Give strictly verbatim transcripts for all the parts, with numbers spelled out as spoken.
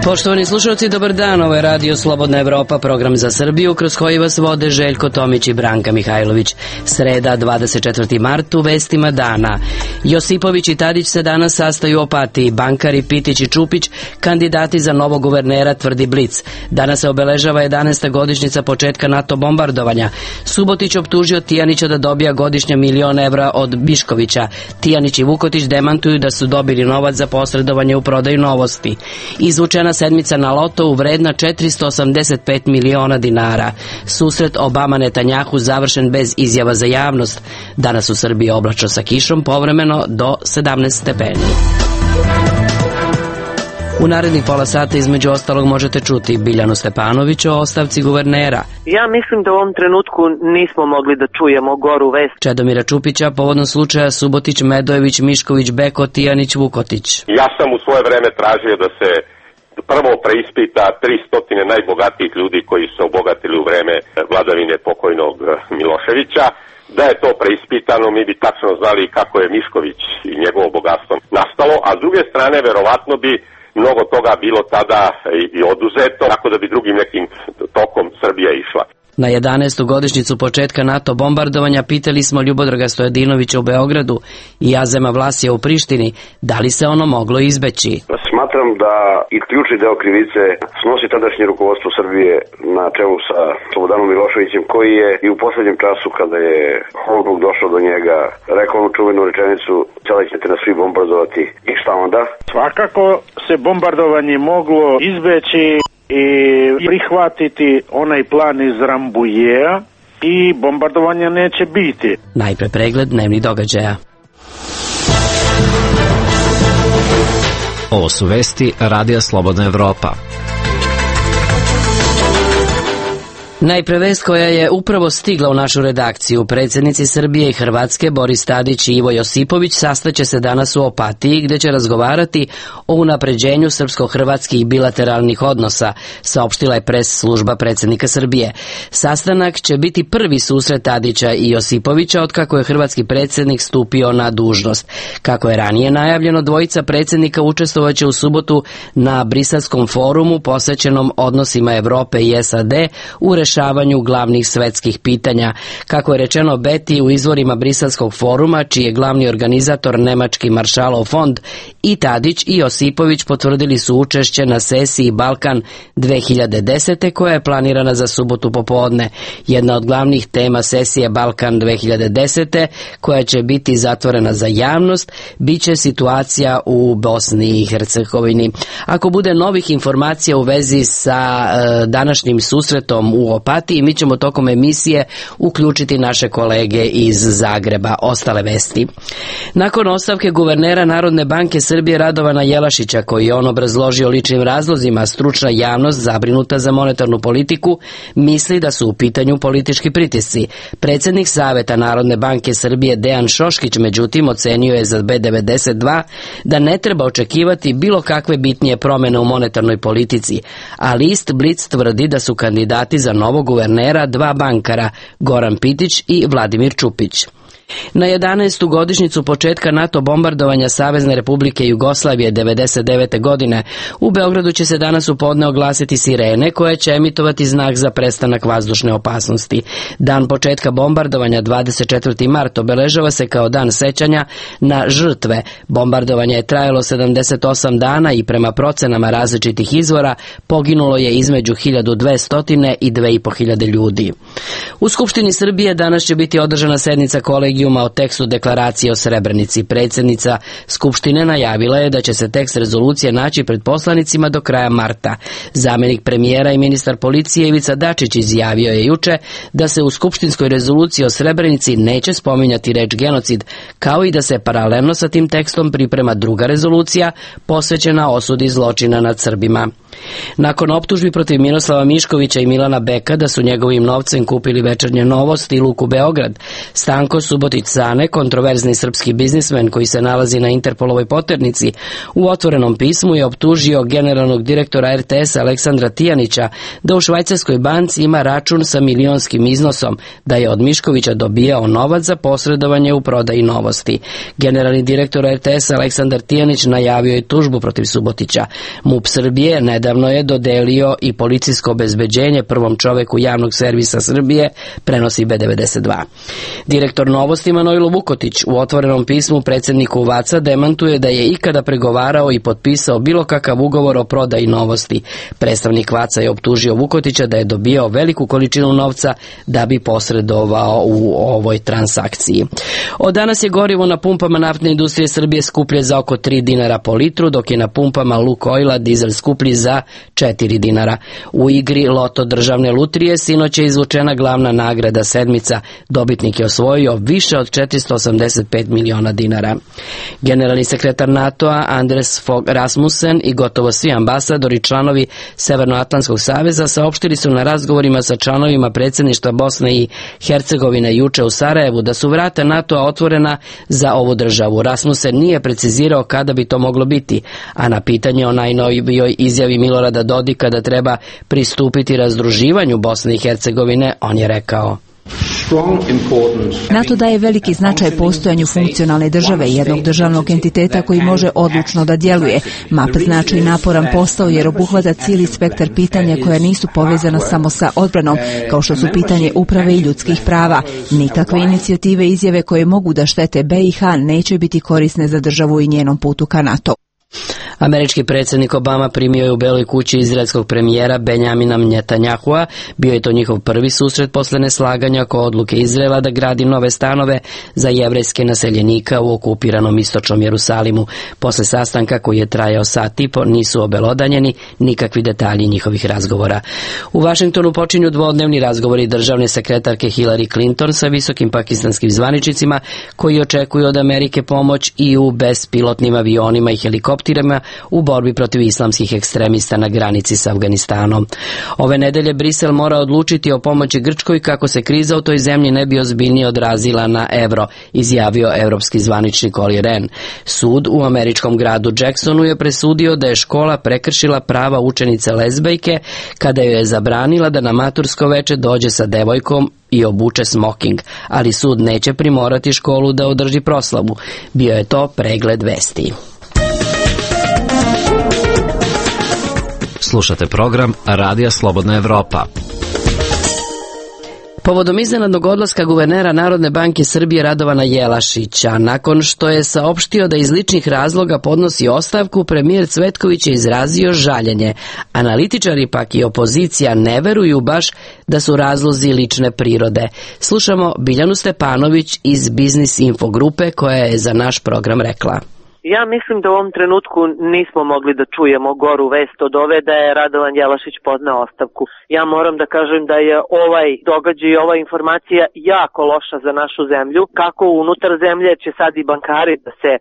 Poštovani slušalci, dobar dan, ovo je Radio Slobodna Evropa, program za Srbiju, kroz koji vas vode Željko Tomić i Branka Mihajlović. Sreda, dvadeset četvrti mart, u vestima dana. Josipović i Tadić se danas sastaju u Opatiji, bankari Pitić i Čupić, kandidati za novog guvernera, tvrdi Blic. Danas se obeležava jedanaesta godišnjica početka NATO bombardovanja. Subotić optužio Tijanića da dobija godišnje milion evra od Biškovića. Tijanić i Vukotić demantuju da su dobili novac za posredovanje u prodaju Novosti. Izvučena sedmica na lotou vredna četiristo osamdeset pet miliona dinara. Susret Obama-Netanjahu završen bez izjava za javnost. Danas u Srbiji oblačno sa kišom, povremeno do sedamnaest stepeni. U narednih pola sata između ostalog možete čuti Biljanu Stepanović o ostavci guvernera. Ja mislim da u ovom trenutku nismo mogli da čujemo goru vest. Čedomira Čupića povodom slučaja Subotić, Medojević, Mišković, Beko, Tijanić, Vukotić. Ja sam u svoje vreme tražio da se prvo preispita tristo najbogatijih ljudi koji su obogatili u vreme vladavine pokojnog Miloševića. Da je to preispitano, mi bi tačno znali kako je Mišković i njegovo bogatstvo nastalo, a s druge strane verovatno bi mnogo toga bilo tada i oduzeto, tako da bi drugim nekim tokom Srbija išla. Na jedanaestu godišnjicu početka NATO bombardovanja pitali smo Ljubodraga Stojadinovića u Beogradu i Azema Vlasija u Prištini da li se ono moglo izbeći. Smatram da i ključni deo krivice snosi tadašnje rukovodstvo Srbije na čelu sa Slobodanom Miloševićem, koji je i u poslednjem času kada je Holbruk došao do njega rekao onu čuvenu rečenicu: sada ćete nas svi bombardovati i šta onda? Svakako se bombardovanje moglo izbeći i prihvatiti onaj plan iz Rambujeja i bombardovanja neće biti. Najpre pregled dnevnih događaja. Ovo su vesti Radija Slobodna Evropa. Najpre vest koja je upravo stigla u našu redakciju. Predsjednici Srbije i Hrvatske Boris Tadić i Ivo Josipović sastaće se danas u Opatiji, gde će razgovarati o unapređenju srpsko-hrvatskih bilateralnih odnosa, saopštila je pres služba predsjednika Srbije. Sastanak će biti prvi susret Tadića i Josipovića otkako je hrvatski predsjednik stupio na dužnost. Kako je ranije najavljeno, dvojica predsjednika učestvovaće u subotu na Briselskom forumu posvećenom odnosima Evrope i S A D u rešavanju glavnih svetskih pitanja. Kako je rečeno Beti u izvorima Briselskog foruma, čiji je glavni organizator nemački Maršalov fond, i Tadić i Josipović potvrdili su učešće na sesiji Balkan dve hiljade desete koja je planirana za subotu popodne. Jedna od glavnih tema sesije Balkan dve hiljade desete, koja će biti zatvorena za javnost, biće situacija u Bosni i Hercegovini. Ako bude novih informacija u vezi sa e, današnjim susretom u Opatiji, mi ćemo tokom emisije uključiti naše kolege iz Zagreba. Ostale vesti. Nakon ostavke guvernera Narodne banke Srbije Radovana Jelašića, koji je on obrazložio ličnim razlozima, stručna javnost zabrinuta za monetarnu politiku misli da su u pitanju politički pritisci. Predsjednik Saveta Narodne banke Srbije Dejan Šoškić međutim ocenio je za B devedeset dva da ne treba očekivati bilo kakve bitnije promjene u monetarnoj politici, a list Blic tvrdi da su kandidati za novog guvernera dva bankara, Goran Pitić i Vladimir Čupić. Na jedanaestu godišnjicu početka NATO bombardovanja Savezne Republike Jugoslavije devedeset devete godine u Beogradu će se danas u podne oglasiti sirene koje će emitovati znak za prestanak vazdušne opasnosti. Dan početka bombardovanja dvadeset četvrti mart obeležava se kao dan sećanja na žrtve. Bombardovanje je trajalo sedamdeset osam dana i prema procenama različitih izvora poginulo je između hiljadu dvesta i dve i po hiljade ljudi. U Skupštini Srbije danas će biti održana sednica kolegijuma o tekstu deklaracije o Srebrenici. Predsjednica Skupštine najavila je da će se tekst rezolucije naći pred poslanicima do kraja marta. Zamjenik premijera i ministar policije Ivica Dačić izjavio je juče da se u skupštinskoj rezoluciji o Srebrenici neće spominjati reč genocid, kao i da se paralelno sa tim tekstom priprema druga rezolucija posvećena osudi zločina nad Srbima. Nakon optužbi protiv Miroslava Miškovića i Milana Beka da su njegovim novcem kupili Večernje Novosti i Luku Beograd, Stanko Subotić Cane, kontroverzni srpski biznismen koji se nalazi na Interpolovoj poternici, u otvorenom pismu je optužio generalnog direktora R T S Aleksandra Tijanića da u švajcarskoj banci ima račun sa milionskim iznosom, da je od Miškovića dobijao novac za posredovanje u prodaji Novosti. Generalni direktor R T S Aleksandar Tijanić najavio je tužbu protiv Subotića. MUP Srbije nedavno Nedavno je dodelio i policijsko obezbeđenje prvom čoveku javnog servisa Srbije, prenosi B devedeset dva. Direktor Novosti Manojlo Vukotić u otvorenom pismu predsjedniku Vaca demantuje da je ikada pregovarao i potpisao bilo kakav ugovor o prodaji Novosti. Predstavnik Vaca je optužio Vukotića da je dobijao veliku količinu novca da bi posredovao u ovoj transakciji. Od danas je gorivo na pumpama naftne industrije Srbije skuplje za oko tri dinara po litru, dok je na pumpama Lukoila dizel skuplji za četiri dinara. U igri Loto državne lutrije sinoć je izvučena glavna nagrada sedmica. Dobitnik je osvojio više od četiristo osamdeset pet miliona dinara. Generalni sekretar NATO-a Anders Fogh Rasmussen i gotovo svi ambasadori članovi Severnoatlantskog saveza saopštili su na razgovorima sa članovima predsjedništva Bosne i Hercegovine juče u Sarajevu da su vrata NATO-a otvorena za ovu državu. Rasmussen nije precizirao kada bi to moglo biti, a na pitanje o najnovijoj izjavi Milorada Dodika da treba pristupiti razdruživanju Bosne i Hercegovine, on je rekao: NATO daje veliki značaj postojanju funkcionalne države i jednog državnog entiteta koji može odlučno da djeluje. M A P znači naporan posao jer obuhvata cijeli spektar pitanja koja nisu povezana samo sa odbranom, kao što su pitanje uprave i ljudskih prava. Nikakve inicijative i izjave koje mogu da štete B i H neće biti korisne za državu i njenom putu ka NATO. Američki predsjednik Obama primio je u Beloj kući izraelskog premijera Benjamina Netanjahua. Bio je to njihov prvi susret posle neslaganja oko odluke Izraela da gradi nove stanove za jevrejske naseljenika u okupiranom istočnom Jerusalimu. Posle sastanka koji je trajao sat i po nisu obelodanjeni nikakvi detalji njihovih razgovora. U Vašingtonu počinju dvodnevni razgovori državne sekretarke Hillary Clinton sa visokim pakistanskim zvaničnicima koji očekuju od Amerike pomoć i u bespilotnim avionima i helikopterima u borbi protiv islamskih ekstremista na granici s Afganistanom. Ove nedelje Brisel mora odlučiti o pomoći Grčkoj kako se kriza u toj zemlji ne bi ozbiljnije odrazila na evro, izjavio evropski zvaničnik Olli Rehn. Sud u američkom gradu Jacksonu je presudio da je škola prekršila prava učenice lezbejke kada joj je zabranila da na matursko veče dođe sa devojkom i obuče smoking, ali sud neće primorati školu da održi proslavu. Bio je to pregled vesti. Slušate program Radija Slobodna Evropa. Povodom iznenadnog odlaska guvernera Narodne banke Srbije Radovana Jelašića, nakon što je saopštio da iz ličnih razloga podnosi ostavku, premijer Cvetković je izrazio žaljenje. Analitičari pak i opozicija ne veruju baš da su razlozi lične prirode. Slušamo Biljanu Stepanović iz Biznis Info grupe koja je za naš program rekla: Ja mislim da u ovom trenutku nismo mogli da čujemo goru vest od ove da je Radovan Jelašić podneo ostavku. Ja moram da kažem da je ovaj događaj i ova informacija jako loša za našu zemlju. Kako unutar zemlje će sad i bankari da se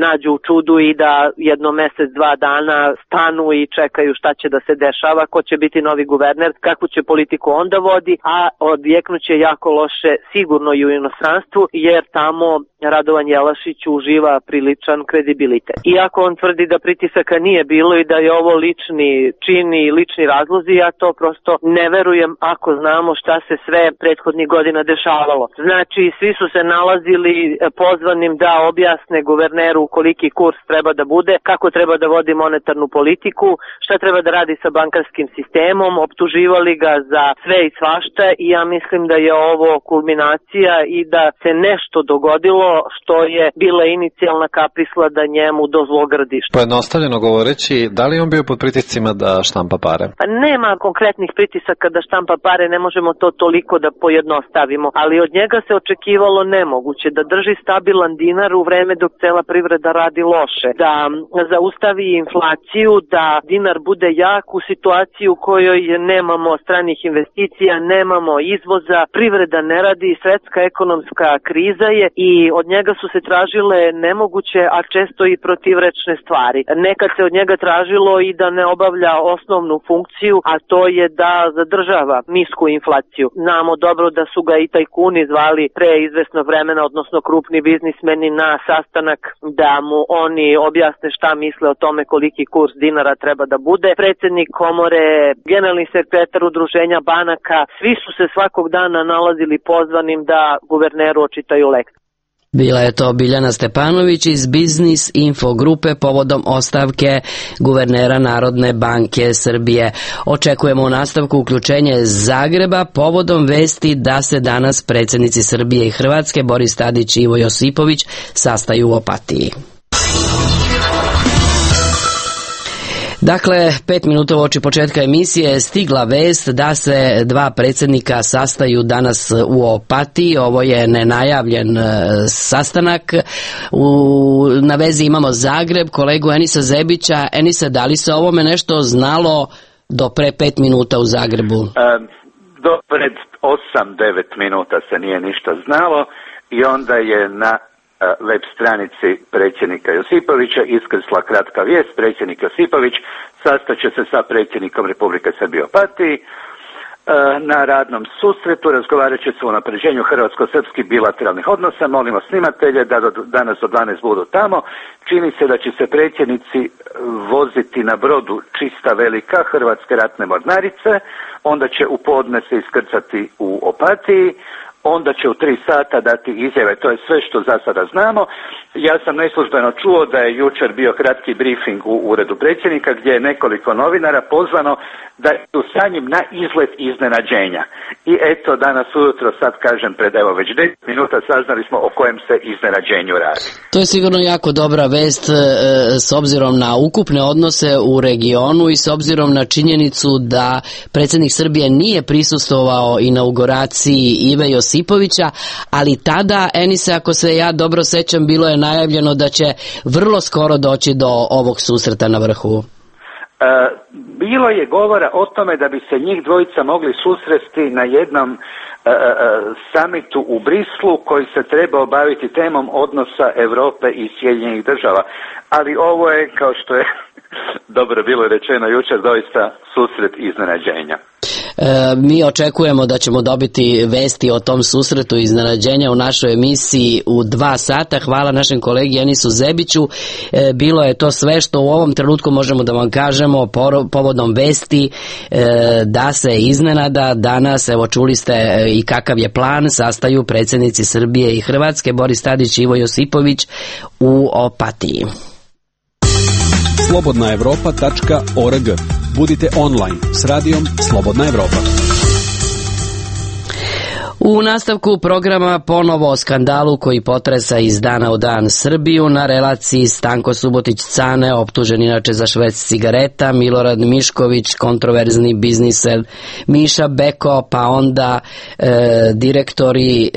nađu u čudu i da jedno mesec, dva dana stanu i čekaju šta će da se dešava, ko će biti novi guverner, kakvu će politiku onda vodi, a odjeknuće jako loše sigurno i u inostranstvu, jer tamo Radovan Jelašić uživa priličan kredibilitet. Iako on tvrdi da pritisaka nije bilo i da je ovo lični čin i lični razlozi, ja to prosto ne verujem ako znamo šta se sve prethodnih godina dešavalo. Znači, svi su se nalazili pozvanim da objasne guverneru koliki kurs treba da bude, kako treba da vodi monetarnu politiku, šta treba da radi sa bankarskim sistemom, optuživali ga za sve i svašta i ja mislim da je ovo kulminacija i da se nešto dogodilo što je bila inicijalna kapisla da njemu dozlogradi. Pojednostavljeno govoreći, da li on bio pod pritiscima da štampa pare? Pa nema konkretnih pritisaka da štampa pare, ne možemo to toliko da pojednostavimo, ali od njega se očekivalo nemoguće, da drži stabilan dinar u vreme dok cela privreda radi loše, da zaustavi inflaciju, da dinar bude jak u situaciji u kojoj nemamo stranih investicija, nemamo izvoza, privreda ne radi, svetska ekonomska kriza je i od njega su se tražile nemoguće, a često i protivrečne stvari. Nekad se od njega tražilo i da ne obavlja osnovnu funkciju, a to je da zadržava nisku inflaciju. Znamo dobro da su ga i tajkuni zvali pre izvesnog vremena, odnosno krupni biznismeni na sastanak da mu oni objasne šta misle o tome koliki kurs dinara treba da bude. Predsjednik komore, generalni sekretar udruženja banaka, svi su se svakog dana nalazili pozvanim da guverneru očitaju lekciju. Bila je to Biljana Stepanović iz Biznis Info grupe povodom ostavke guvernera Narodne banke Srbije. Očekujemo u nastavku uključenje Zagreba povodom vesti da se danas predsjednici Srbije i Hrvatske Boris Tadić i Ivo Josipović sastaju u Opatiji. Dakle, pet minuta uoči početka emisije je stigla vest da se dva predsjednika sastaju danas u Opatiji. Ovo je nenajavljen sastanak. U, na vezi imamo Zagreb, kolegu Enisa Zebića. Enisa, da li se ovome nešto znalo do pre pet minuta u Zagrebu? Um, do pred osam devet minuta se nije ništa znalo i onda je na web stranici predsjednika Josipovića iskrsla kratka vijest. Predsjednik Josipović sastaće se sa predsjednikom Republike Srbije u Opatiji na radnom susretu, razgovarat će se o unapređenju hrvatsko-srpskih bilateralnih odnosa. Molimo snimatelje da do, danas do dvanaest budu tamo. Čini se da će se predsjednici voziti na brodu Čista Velika Hrvatske ratne mornarice, onda će u podne se iskrcati u Opatiji, onda će u tri sata dati izjave. To je sve što za sada znamo. Ja sam neslužbeno čuo da je jučer bio kratki briefing u uredu predsjednika gdje je nekoliko novinara pozvano da su sa njim na izlet iznenađenja. I eto, danas ujutro, sad kažem pred evo već deset minuta, saznali smo o kojem se iznenađenju radi. To je sigurno jako dobra vest e, s obzirom na ukupne odnose u regionu i s obzirom na činjenicu da predsjednik Srbije nije prisustvovao inauguraciji Ive Josipovića, ali tada, Enise, ako se ja dobro sećam, bilo je najavljeno da će vrlo skoro doći do ovog susreta na vrhu. E, bilo je govora o tome da bi se njih dvojica mogli susresti na jednom e, e, samitu u Brislu koji se treba obaviti temom odnosa Europe i Sjedinjenih država. Ali ovo je, kao što je dobro bilo rečeno jučer, doista susret iznenađenja. E, mi očekujemo da ćemo dobiti vesti o tom susretu iznenađenja u našoj emisiji u dva sata. Hvala našem kolegi Enisu Zebiću. E, bilo je to sve što u ovom trenutku možemo da vam kažemo povodom vesti e, da se iznenada danas, evo čuli ste i kakav je plan, sastaju predsjednici Srbije i Hrvatske Boris Tadić i Ivo Josipović u Opatiji. slobodna evropa tačka org. Budite online s radijom Slobodna Evropa. U nastavku programa ponovo o skandalu koji potresa iz dana u dan Srbiju. Na relaciji Stanko Subotić-Cane, optužen inače za šverc cigareta, Milorad Mišković, kontroverzni bizniser Miša Beko, pa onda e, direktori e,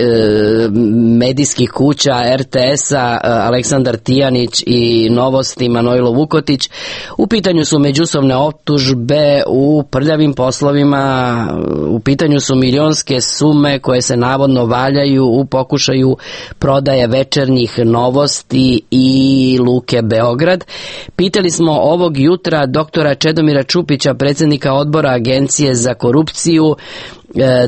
medijskih kuća R T S-a Aleksandar Tijanić i Novosti Manojlo Vukotić. U pitanju su međusobne optužbe u prljavim poslovima, u pitanju su milionske sume koje se navodno valjaju u pokušaju prodaje Večernjih Novosti i Luke Beograd. Pitali smo ovog jutra doktora Čedomira Čupića, predsjednika odbora Agencije za korupciju,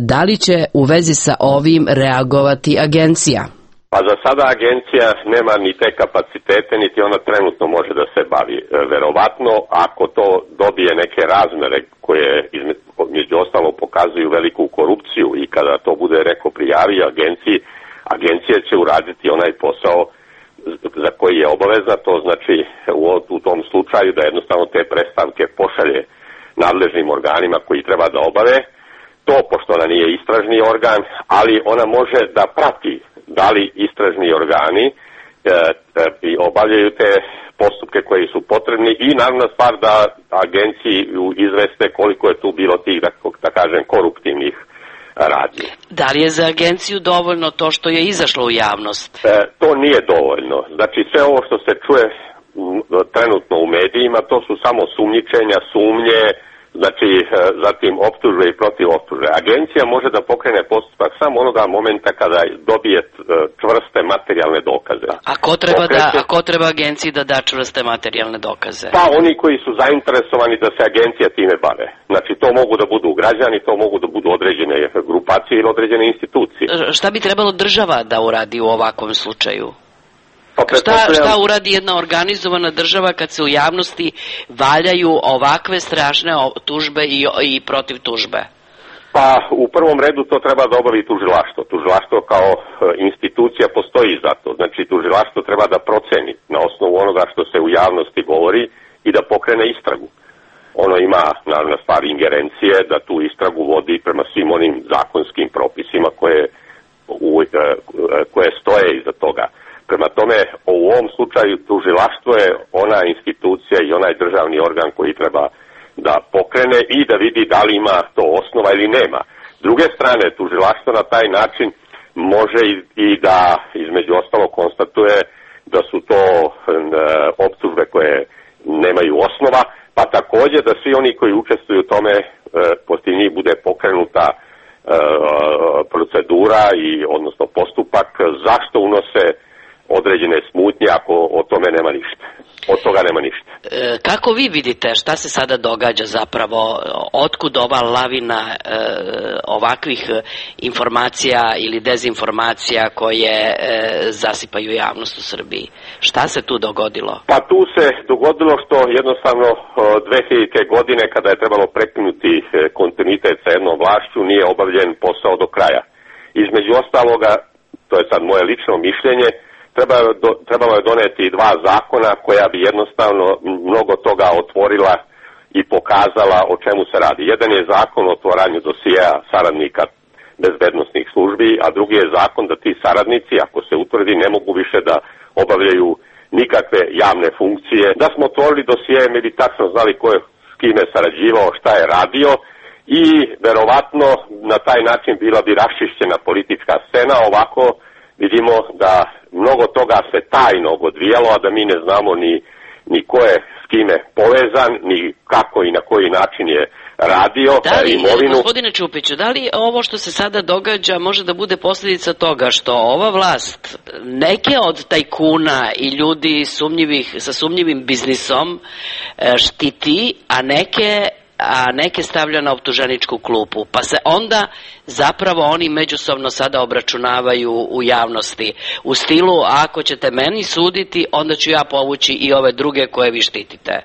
da li će u vezi sa ovim reagovati agencija? Pa za sada agencija nema ni te kapacitete, niti ona trenutno može da se bavi. Verovatno, ako to dobije neke razmere koje između ostalo pokazuju veliku korupciju i kada to bude reko prijavi agenciji, agencija će uraditi onaj posao za koji je obavezna, to znači u, u tom slučaju da jednostavno te predstavke pošalje nadležnim organima koji treba da obave. To, pošto ona nije istražni organ, ali ona može da prati da li istražni organi e, e, obavljaju te postupke koji su potrebni i naravno stvar da agenciji izveste koliko je tu bilo tih, da, da kažem, koruptivnih radnji. Da li je za agenciju dovoljno to što je izašlo u javnost? E, to nije dovoljno. Znači sve ovo što se čuje trenutno u medijima, to su samo sumnjičenja, sumnje, znači zatim optužbe i protiv optužbe. Agencija može da pokrene postupak samo onoga momenta kada dobije čvrste materijalne dokaze. A ko treba, Pokreće... da, a ko treba agenciji da da čvrste materijalne dokaze? Pa oni koji su zainteresovani da se agencija time bave. Znači to mogu da budu građani, to mogu da budu određene grupacije ili određene institucije. Šta bi trebalo država da uradi u ovakvom slučaju? Šta, šta uradi jedna organizovana država kad se u javnosti valjaju ovakve strašne tužbe i, i protiv tužbe? Pa u prvom redu to treba da obavi tužilaštvo. Tužilaštvo kao institucija postoji za to. Znači tužilaštvo treba da proceni na osnovu onoga što se u javnosti govori i da pokrene istragu. Ono ima, naravno, stvar ingerencije da tu istragu vodi prema svim onim zakonskim propisima koje, u, koje stoje iza toga. Prema tome, u ovom slučaju tužilaštvo je ona institucija i onaj državni organ koji treba da pokrene i da vidi da li ima to osnova ili nema. S druge strane, tužilaštvo na taj način može i, i da između ostalo konstatuje da su to e, optužbe koje nemaju osnova, pa također da svi oni koji učestvuju u tome, e, poslije njih bude pokrenuta e, procedura i odnosno postupak zašto unose određene smutnje ako o tome nema ništa. Od toga nema ništa. E, kako vi vidite šta se sada događa zapravo, otkud ova lavina e, ovakvih informacija ili dezinformacija koje e, zasipaju javnost u Srbiji? Šta se tu dogodilo? Pa tu se dogodilo što jednostavno dve hiljadite. godine kada je trebalo prekinuti kontinuitet sa jednom vlašću nije obavljen posao do kraja. Između ostaloga, to je sad moje lično mišljenje, trebalo je doneti dva zakona koja bi jednostavno mnogo toga otvorila i pokazala o čemu se radi. Jedan je zakon o otvaranju dosijea saradnika bezbednosnih službi, a drugi je zakon da ti saradnici, ako se utvrdi, ne mogu više da obavljaju nikakve javne funkcije. Da smo otvorili dosije, mi bi tačno znali ko je s kime sarađivao, šta je radio i verovatno na taj način bila bi raščišćena politička scena. Ovako vidimo da mnogo toga se tajno odvijalo, a da mi ne znamo ni, ni ko je s kime povezan, ni kako i na koji način je radio. Da li, imovinu. Gospodine Čupiću, da li ovo što se sada događa može da bude posljedica toga što ova vlast neke od tajkuna i ljudi sumnjivih, sa sumnjivim biznisom štiti, a neke a neke stavlja na optuženičku klupu, pa se onda zapravo oni međusobno sada obračunavaju u javnosti u stilu ako ćete meni suditi, onda ću ja povući i ove druge koje vi štitite. E,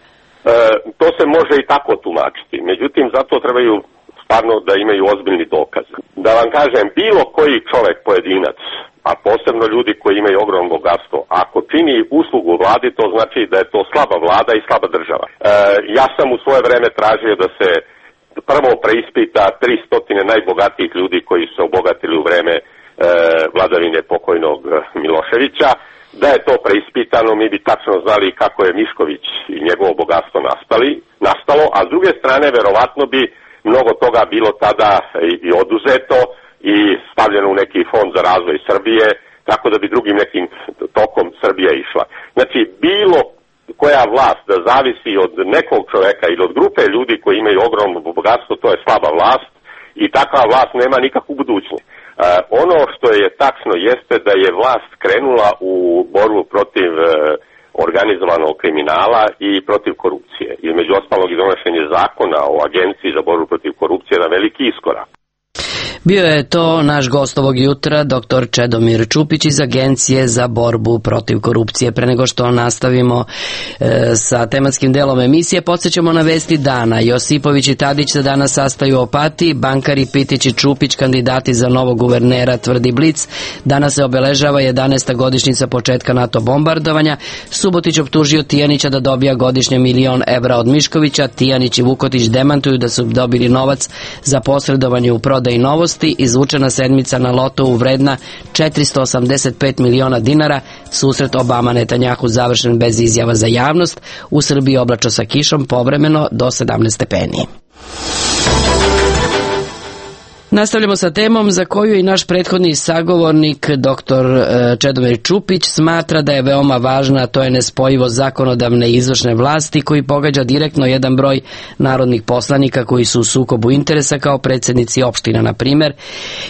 to se može i tako tumačiti, međutim zato trebaju stvarno da imaju ozbiljni dokaz. Da vam kažem, bilo koji čovjek, pojedinac, a posebno ljudi koji imaju ogromno bogatstvo, ako čini uslugu vladi, to znači da je to slaba vlada i slaba država. E, ja sam u svoje vreme tražio da se prvo preispita tristo najbogatijih ljudi koji su se obogatili u vreme e, vladavine pokojnog Miloševića. Da je to preispitano, mi bi tačno znali kako je Mišković i njegovo bogatstvo nastali, nastalo, a s druge strane verovatno bi mnogo toga bilo tada i, i oduzeto i stavljeno u neki fond za razvoj Srbije, tako da bi drugim nekim tokom Srbija išla. Znači, bilo koja vlast da zavisi od nekog čoveka ili od grupe ljudi koji imaju ogromno bogatstvo, to je slaba vlast i takva vlast nema nikakvu budućnost. E, ono što je tačno jeste da je vlast krenula u borbu protiv e, organizovanog kriminala i protiv korupcije. Između ostalog i donošenje zakona o agenciji za borbu protiv korupcije na veliki iskorak. Bio je to naš gost ovog jutra, doktor Čedomir Čupić iz Agencije za borbu protiv korupcije. Pre nego što nastavimo e, sa tematskim delom emisije, podsjećamo na vesti dana. Josipović i Tadić se danas sastaju u Opatiji, bankari Pitić i Čupić, kandidati za novog guvernera, tvrdi Blic. Danas se obeležava jedanaesta godišnjica početka NATO bombardovanja. Subotić optužio Tijanića da dobija godišnje milion evra od Miškovića. Tijanić i Vukotić demantuju da su dobili novac za posredovanje u prodaji Novosti. Izvučena sedmica na lotovu vredna četiristo osamdeset pet miliona dinara. Susret Obama Netanjahu završen bez izjava za javnost. U Srbiji oblačno sa kišom, povremeno do sedamnaest stepeni. Nastavljamo sa temom za koju i naš prethodni sagovornik doktor Čedomir Čupić smatra da je veoma važna, a to je nespojivost zakonodavne i izvršne vlasti koji pogađa direktno jedan broj narodnih poslanika koji su u sukobu interesa kao predsjednici opština, na primjer.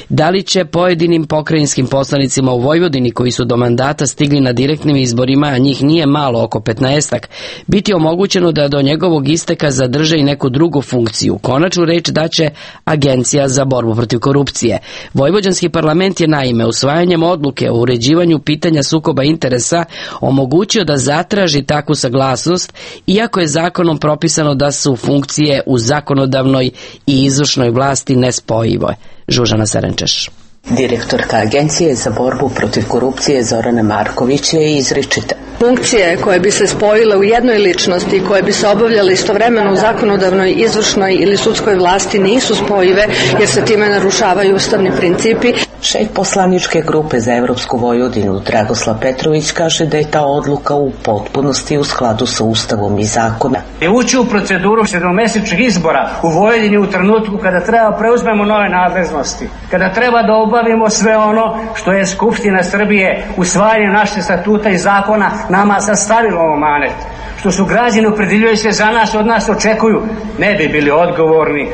Da li će pojedinim pokrajinskim poslanicima u Vojvodini koji su do mandata stigli na direktnim izborima, a njih nije malo, oko petnaestak, biti omogućeno da do njegovog isteka zadrže i neku drugu funkciju? Konačnu reč daće Agencija za borbu borbu protiv korupcije. Vojvođanski parlament je naime usvajanjem odluke o uređivanju pitanja sukoba interesa omogućio da zatraži takvu saglasnost, iako je zakonom propisano da su funkcije u zakonodavnoj i izvršnoj vlasti nespojive. Žužana Serenčeš. Direktorka Agencije za borbu protiv korupcije Zorana Marković je izričita. Funkcije koje bi se spojile u jednoj ličnosti i koje bi se obavljale istovremeno u zakonodavnoj, izvršnoj ili sudskoj vlasti nisu spojive jer se time narušavaju ustavni principi. Šef poslaničke grupe za Evropsku Vojvodinu Dragoslav Petrović kaže da je ta odluka u potpunosti u skladu sa Ustavom i zakonom. Ući u proceduru sedmomesečnih izbora u Vojvodini u trenutku kada treba preuzmemo nove nadležnosti, kada treba da obavimo sve ono što je Skupština Srbije usvajanjem naših statuta i zakona nama sastavilo omanet, što su građani opredeljuju se za nas, od nas očekuju, ne bi bili odgovorni.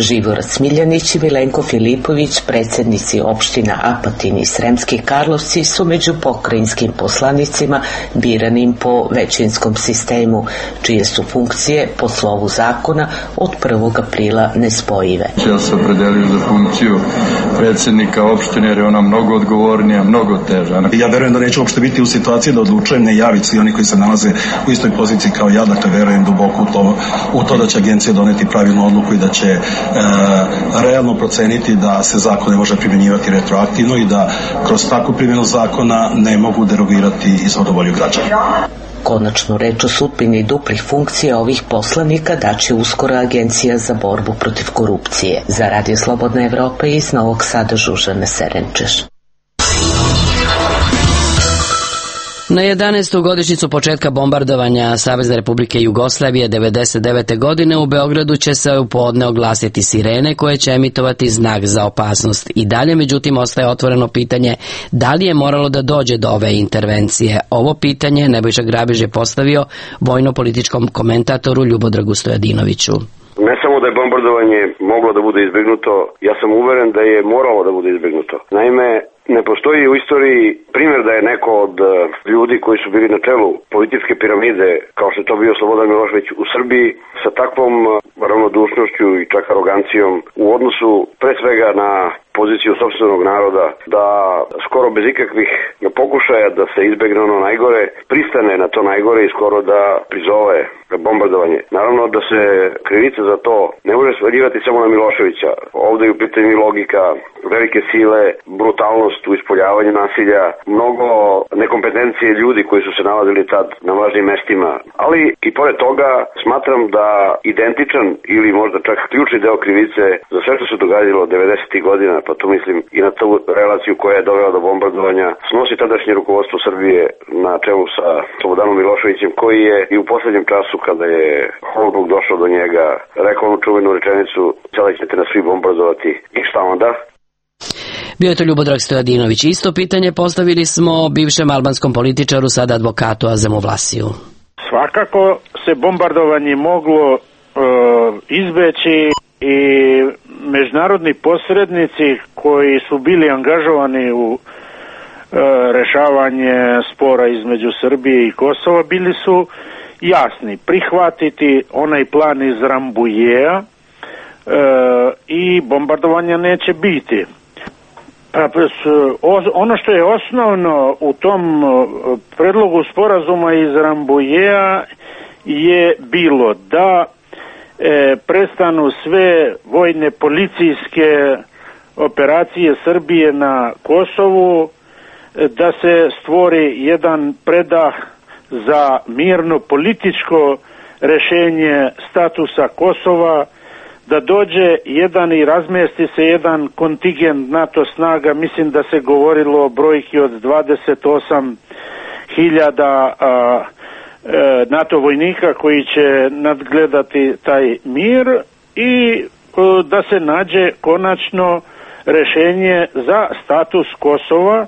Živorad Smiljanić i Milenko Filipović, predsjednici opština Apatin i Sremski Karlovci, su među pokrajinskim poslanicima biranim po većinskom sistemu, čije su funkcije po slovu zakona od prvog aprila nespojive. Ja se opredelio za funkciju predsjednika opštine jer je ona mnogo odgovornija, mnogo teža. Ja verujem da neću uopšte biti u situaciji da odlučujem, ne javiti svi oni koji se nalaze u istoj poziciji kao ja, dakle verujem duboko u to, u to da će agencija doneti pravilnu odluku i da će E, realno proceniti da se zakon ne može primjenjivati retroaktivno i da kroz takvu primjenu zakona ne mogu derogirati izvornu volju građana. Konačnu reč o sudbini duplih funkcija ovih poslanika daće uskoro Agencija za borbu protiv korupcije. Za Radio Slobodna Evropa iz Novog Sada Žužana Serenčeš. Na jedanaestu godišnjicu početka bombardovanja Savezne Republike Jugoslavije devedeset devete. godine u Beogradu će se u podne oglasiti sirene koje će emitovati znak za opasnost. I dalje, međutim, ostaje otvoreno pitanje da li je moralo da dođe do ove intervencije. Ovo pitanje Nebojša Grabiž je postavio vojno-političkom komentatoru Ljubodragu Stojadinoviću. Ne samo da je bombardovanje moglo da bude izbjegnuto, ja sam uveren da je moralo da bude izbjegnuto. Naime, ne postoji u istoriji primjer da je neko od ljudi koji su bili na čelu političke piramide, kao što je to bio Slobodan Milošević u Srbiji, sa takvom ravnodušnošću i čak arogancijom u odnosu pre svega na poziciju sopstvenog naroda, da skoro bez ikakvih pokušaja da se izbegne ono najgore, pristane na to najgore i skoro da prizove bombardovanje. Naravno da se krivica za to ne može svaljivati samo na Miloševića. Ovdje je u pitanju logika, velike sile, brutalnost u ispoljavanju nasilja, mnogo nekompetencije ljudi koji su se nalazili tad na važnim mestima. Ali i pored toga smatram da identičan ili možda čak ključni deo krivice za sve što se događalo devedesetih godina, pa tu mislim i na tu relaciju koja je dovela do bombardovanja, snosi tadašnje rukovodstvo Srbije na čelu sa Slobodanom Miloševićem, koji je i u posljednjem času kada je Holbruk došao do njega rekao onu čuvenu rečenicu: sada ćete nas svi bombardovati i šta onda? Bio je to Ljubodrag Stojadinović. Isto pitanje postavili smo bivšem albanskom političaru, sada advokatu Azemu Vlasiju. Svakako se bombardovanje moglo e, izbeći i međunarodni posrednici koji su bili angažovani u e, rešavanje spora između Srbije i Kosova bili su jasni: prihvatiti onaj plan iz Rambujeja e, i bombardovanja neće biti. Ono što je osnovno u tom predlogu sporazuma iz Rambujeja je bilo da e, prestanu sve vojne policijske operacije Srbije na Kosovu, da se stvori jedan predah za mirno političko rešenje statusa Kosova, da dođe jedan i razmesti se jedan kontingent NATO snaga, mislim da se govorilo o brojki od dvadeset osam hiljada NATO vojnika koji će nadgledati taj mir i a, da se nađe konačno rešenje za status Kosova,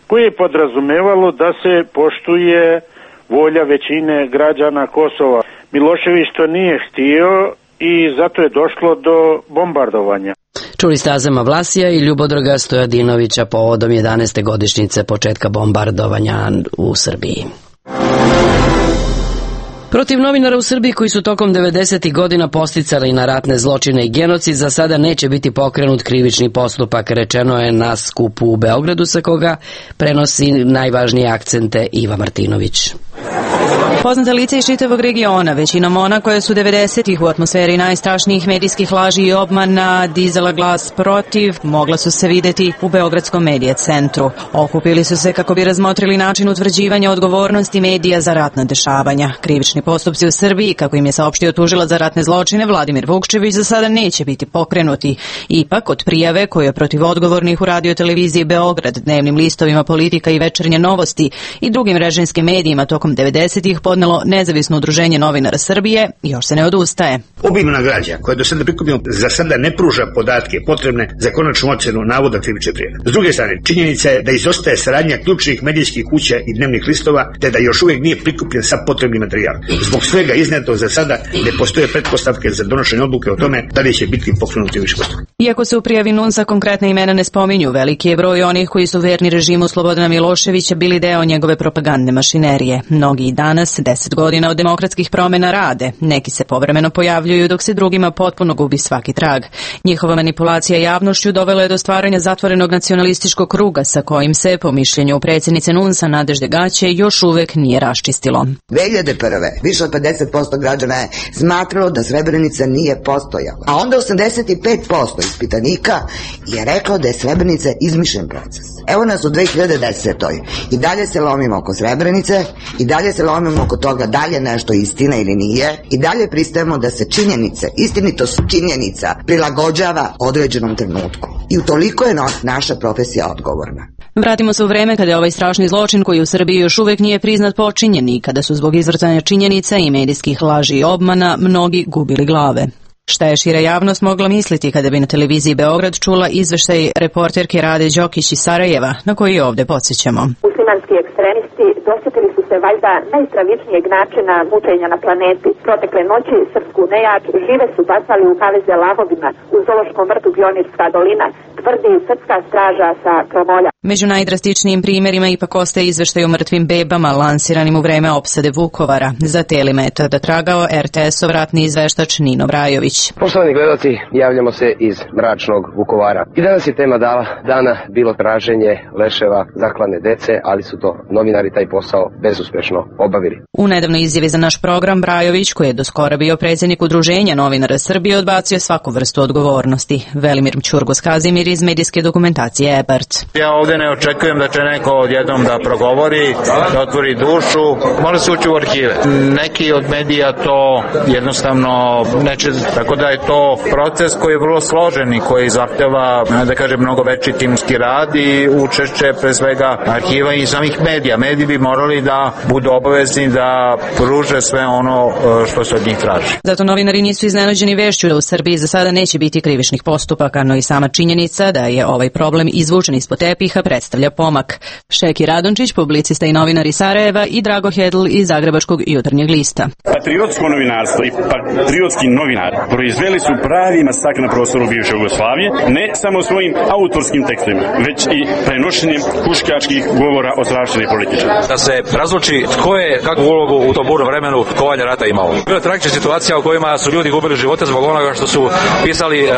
koje je podrazumevalo da se poštuje volja većine građana Kosova. Milošević to nije htio i zato je došlo do bombardovanja. Čuli ste Azema Vlasija i Ljubodraga Stojadinovića povodom jedanaeste godišnjice početka bombardovanja u Srbiji. Protiv novinara u Srbiji koji su tokom devedesetih godina posticali na ratne zločine i genocid za sada neće biti pokrenut krivični postupak, rečeno je na skupu u Beogradu, sa koga prenosi najvažnije akcente Iva Martinović. Poznate lice iz čitavog regiona, većinom ona koje su devedesetih u atmosferi najstrašnijih medijskih laži i obmana dizala glas protiv, mogla su se videti u Beogradskom medija centru. Okupili su se kako bi razmotrili način utvrđivanja odgovornosti medija za ratna dešavanja. Krivični postupci u Srbiji, kako im je saopštio tužilac za ratne zločine Vladimir Vukčević, za sada neće biti pokrenuti. Ipak, od prijave koje je protiv odgovornih u radio-televiziji Beograd, dnevnim listovima Politika i Večernje novosti i drugim režimskim medijima tokom devedesetih podnelo nezavisno udruženje novinara Srbije, još se ne odustaje. Obimna građa koja je do sada prikupljena za sada ne pruža podatke potrebne za konačnu ocenu navoda krivične prijave. S druge strane, činjenica je da izostaje saradnja ključnih medijskih kuća i dnevnih listova, te da još uvijek nije prikupljen sav potrebni materijal. Zbog svega izneto za sada ne postoje pretpostavke za donošenje odluke o tome da li će biti pokrenuti krivični postupak. Iako se u prijavi NUNS-a konkretne imena ne spominju, veliki je broj onih koji su verni režimu Slobodana Miloševića bili deo njegove propagandne mašinerije. Mnogi i danas, deset godina od demokratskih promjena, rade. Neki se povremeno pojavljuju dok se drugima potpuno gubi svaki trag. Njihova manipulacija javnošću dovela je do stvaranja zatvorenog nacionalističkog kruga sa kojim se, po mišljenju predsjednice NUNS-a Nadežde Gaće, još uvek nije raščistilo. dve hiljade prve više od pedeset posto građana je smatralo da Srebrenica nije postojala, a onda osamdeset pet posto ispitanika je reklo da je Srebrenica izmišljen proces. Evo nas u dve hiljade desetoj i dalje se lomimo oko Srebrenice, i dalje se lomimo oko toga da li je nešto istina ili nije, i dalje pristajemo da se činjenice, istinitost činjenica prilagođava određenom trenutku. I utoliko je naša profesija odgovorna. Vratimo se u vreme kada je ovaj strašni zločin, koji u Srbiji još uvek nije priznat, počinjen i kada su zbog izvrtanja činjenica i medijskih laži i obmana mnogi gubili glave. Šta je šira javnost mogla misliti kada bi na televiziji Beograd čula izveštaj reporterke Rade Đokić iz Sarajeva, na koji ovde podsjećamo. Muslimanski ekstremisti dosjetili su se valjda najstravičnijeg načina mučenja na planeti. Protekle noći srpsku nejač žive su bacali u kaveze lahovima u zoološkom vrtu Pionirska dolina, tvrdi srpska straža sa Kromolja. Među najdrastičnijim primjerima ipak ostaje izveštaj o mrtvim bebama lansiranim u vreme opsade Vukovara. Za Telima je tada tragao er te esov ratni izveštač Nino Brajović. Poštovani gledalci, javljamo se iz mračnog Vukovara. I danas je tema dala dana bilo traženje leševa zaklane dece, ali su to novinari taj posao bezuspešno obavili. U nedavnoj izjavi za naš program Brajović, koji je do skora bio predsjednik udruženja novinara Srbije, odbacio svaku vrstu odgovornosti. Velimir Ćurgos Kazimir iz medijske dokumentacije Ebert. Ja ovdje ne očekujem da će neko odjednom da progovori, da otvori dušu. Mora se ući u arhive. Neki od medija to jednostavno neće, tako da je to proces koji je vrlo složen i koji zahteva, da kažem, mnogo veći timski rad i učešće pre svega arhiva i samih medija. Mediji bi morali da budu obavezni da pruže sve ono što se od njih traži. Zato novinari nisu iznenađeni vešću da u Srbiji za sada neće biti krivičnih postupaka, no i sama činjenica da je ovaj problem izvučen ispod tepiha predstavlja pomak. Šeki Radončić, publicista i novinar iz Sarajeva, i Drago Hedl iz Zagrebačkog Jutarnjeg lista. Patriotsko novinarstvo i patriotski novinar proizveli su pravi masakr na prostoru bivše Jugoslavije, ne samo svojim autorskim tekstovima, već i prenošenjem huškačkih govora o strašćenih političara. Da se razluči tko je kakvu ulogu u tom burnom vremenu kovanja rata imao. Bila je tragična situacija u kojima su ljudi gubili živote zbog onoga što su pisali e,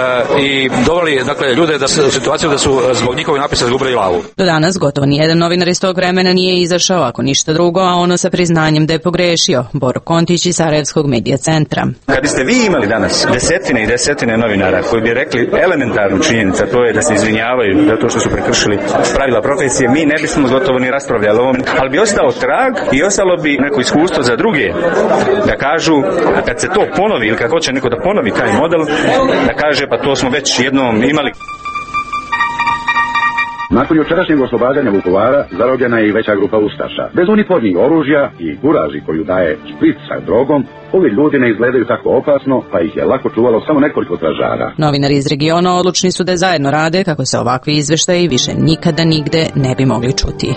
i doveli, dakle, ljude da su, u situaciju da su zbog njihovih napisa izgubili glavu. Do danas gotovo nijedan novinar iz tog vremena nije izašao, ako ništa drugo, a ono sa priznanjem da je pogrešio. Boro Kontić iz Sarajevskog medija centra. Kad biste vi imali danas desetine i desetine novinara koji bi rekli elementarnu činjenicu, to je da se izvinjavaju zato što su prekršili pravila profesije, mi ne bismo gotovo ni raspravljali o ovom, ali bi ostao trag i ostalo bi neko iskustvo za druge da kažu, a kad se to ponovi ili kad hoće neko da ponovi taj model, da kaže pa to smo već jednom imali. Nakon jučerašnjeg oslobađanja Vukovara zarobljena je i veća grupa ustaša. Bez uniformnih oružja i guraži koju daje špric sa drogom, ovi ljudi ne izgledaju tako opasno, pa ih je lako čuvalo samo nekoliko stražara. Novinari iz regiona odlučni su da zajedno rade kako se ovakvi izveštaji više nikada nigde ne bi mogli čuti.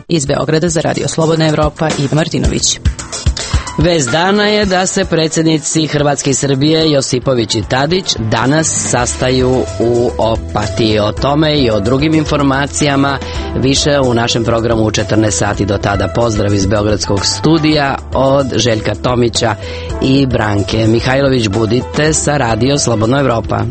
Iz Beograda za Radio Slobodna Evropa, Iva Martinović. Vez dana je da se predsjednici Hrvatske i Srbije Josipović i Tadić danas sastaju u Opatiji. O tome i o drugim informacijama više u našem programu u četrnaest sati. Do tada pozdrav iz Beogradskog studija od Željka Tomića i Branke Mihajlović. Budite sa Radio Slobodna Evropa.